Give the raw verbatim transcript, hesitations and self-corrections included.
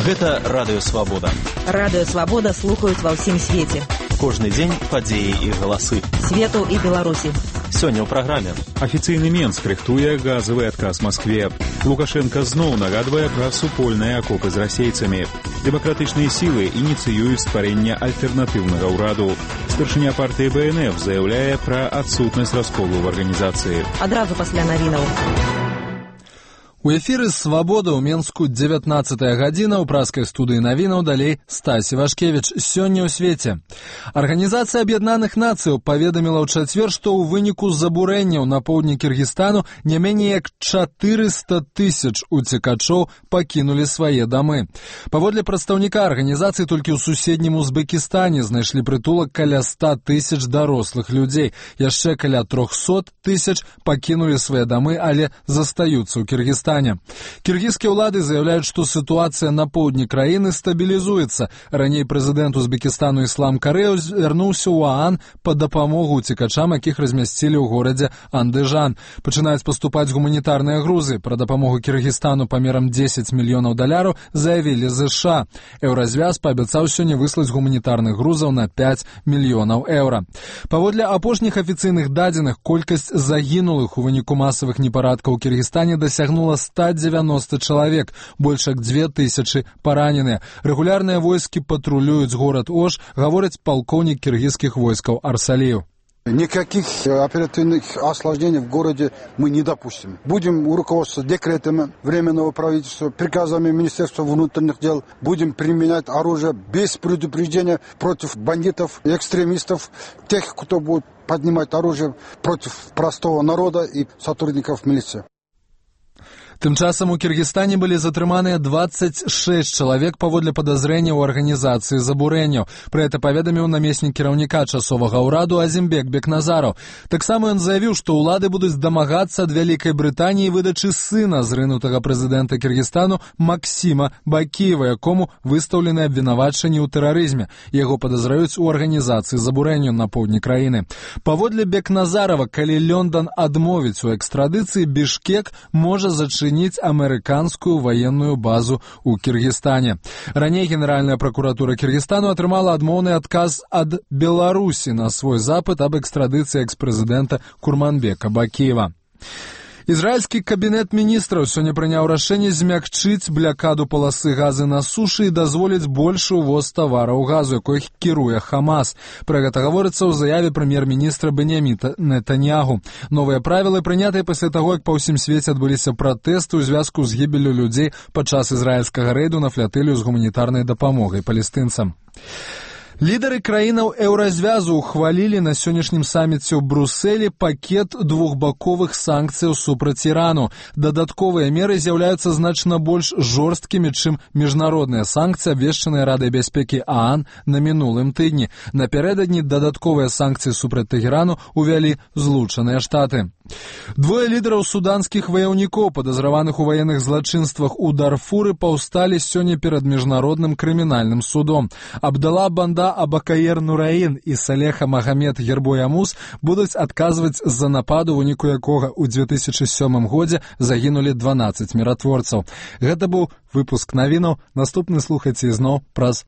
Гэта Радыё Свабода. Радыё Свабода слухаюць ва ўсім свеце. Кожны дзень падзеі і галасы. Свету і Беларусі. Сёння ў праграме. Афіцыйны Менск рыхтуе газавы адказ Маскве. Лукашенко зноў нагадвае пра супольныя акопы з расейцамі. Дэмакратычныя сілы ініцыююць стварэнне альтэрнатыўнага ўраду. Старшыня партыі бэ эн эф заяўляе пра адсутнасць расколу ў арганізацыі. Адразу пасля навінаў. У эфіры «Свабода» ў Менску дзевятнаццатая гадзіна, у праскай студыі навінаў далей Стась Івашкевіч. Сёння ў свеце. Арганізацыя Аб'яднаных Нацыяў паведаміла ў чацвер, што ў выніку забурэнняў на поўдні Кіргізстану не меней як чатырыста тысяч уцекачоў пакінулі свае дамы. Паводле прадстаўніка арганізацыі, толькі ў суседнім Узбекістане знайшлі прытулак каля ста тысяч дарослых людзей. Яшчэ каля трохсот тысяч пакінулі свае дамы, але застаюцца ў Кіргізстане. Кіргізскія ўлады заяўляюць, што сітуацыя на поўдні краіны стабілізуецца. Раней прэзідэнт Узбекістану Іслам Кареў звярнуўся ў ААН па дапамогу уцекачам, якіх размясцілі ў горадзе Андыжан. Пачынаюць паступаць гуманітарныя грузы. Пра дапамогу Кіргізстану памерам дзесяць мільёнаў даляраў заявілі ЗША. Еўразвяз паабяцаў сёння выслаць гуманітарных грузаў на пяць мільёнаў еўра. Паводле апошніх афіцыйных дадзеных, колькасць загінулых у выніку масавых непарадкаў у Кіргізстане дасягнула ста дзевяноста чалавек, больш як дзве тысячы параненыя. Рэгулярныя войскі патрулююць горад Ош, гаворыць палкоўнік кіргізскіх войскаў Арсалиев. Никаких оперативных осложнений в городе мы не допустим. Будем руководствоваться декретами Временного правительства, приказами Министерства внутренних дел. Будем применять оружие без предупреждения против бандитов, экстремистов, тех, кто будет поднимать оружие против простого народа и сотрудников милиции. Тым часам у Кіргізстане былі затрыманыя дваццаць шэсць чалавек паводле падазрэння ў арганізацыі забурэнняў. Пра гэта паведаміў намеснік кіраўніка часовага ўраду Азімбек Бекназараў. Таксама ён заявіў, што ўлады будуць дамагацца ад Вялікай Брытаніі выдачы сына зрынутага прэзідэнта Кіргізстану Максіма Бакіева, якому выстаўлены абвінавачанні ў тэрарызме. Яго падазраюць у арганізацыі забурэнняў на поўдні краіны. Паводле Бекназарава, калі Лёндан адмовіць у экстрадыцыі, Бішкек можа зачыніць амерыканскую военную базу ў Кіргізстане. Раней Генеральная пракуратура Кіргізстану атрымала адмоўны адказ ад Беларусі на свой запыт аб экстрадыцыі экс-прэзідэнта Курманбека Бакіева. Ізраільскі кабінет міністраў сёння прыняў рашэнне змякчыць блякаду паласы газы на сушы і дазволіць большы ўвоз тавараў газу, якой кіруе Хамас. Пра гэта гаворыцца ў заяве прэм'ер-міністра Беньяміна Нетаньягу. Новыя правілы прынятыя пасля таго, як па ўсім свеце адбыліся пратэсты ў звязку з гібеллю людзей падчас ізраільскага рэйду на флятылью з гуманітарнай дапамогай палестынцам. Лідары краінаў еўразвязу ухвалілі на сённяшнім саміце ў Брусэлі пакет двухбаковых санкцыяў супраць Ірану. Дадатковыя меры з'яўляюцца значна больш жорсткімі, чым міжнародныя санкцыі, абвешчаныя Радай бяспекі ААН на мінулым тыдні. Напярэдадні дадатковыя санкцыі супраць Тэхерану увялі Злучаныя Штаты. Двое лідараў суданскіх ваяўнікоў, падазраваных у ваенных злачынствах у Дарфуры, паўсталі сёння перад міжнародным крымінальным судом. Абдала Банда Абакаер Нураін і Салеха Магамед Гербоямус будуць адказваць за напад, у выніку якога ў дзве тысячы сёмым годзе загінулі дванаццаць міратворцаў. Гэта быў выпуск навінаў. Наступны слухайце ізноў праз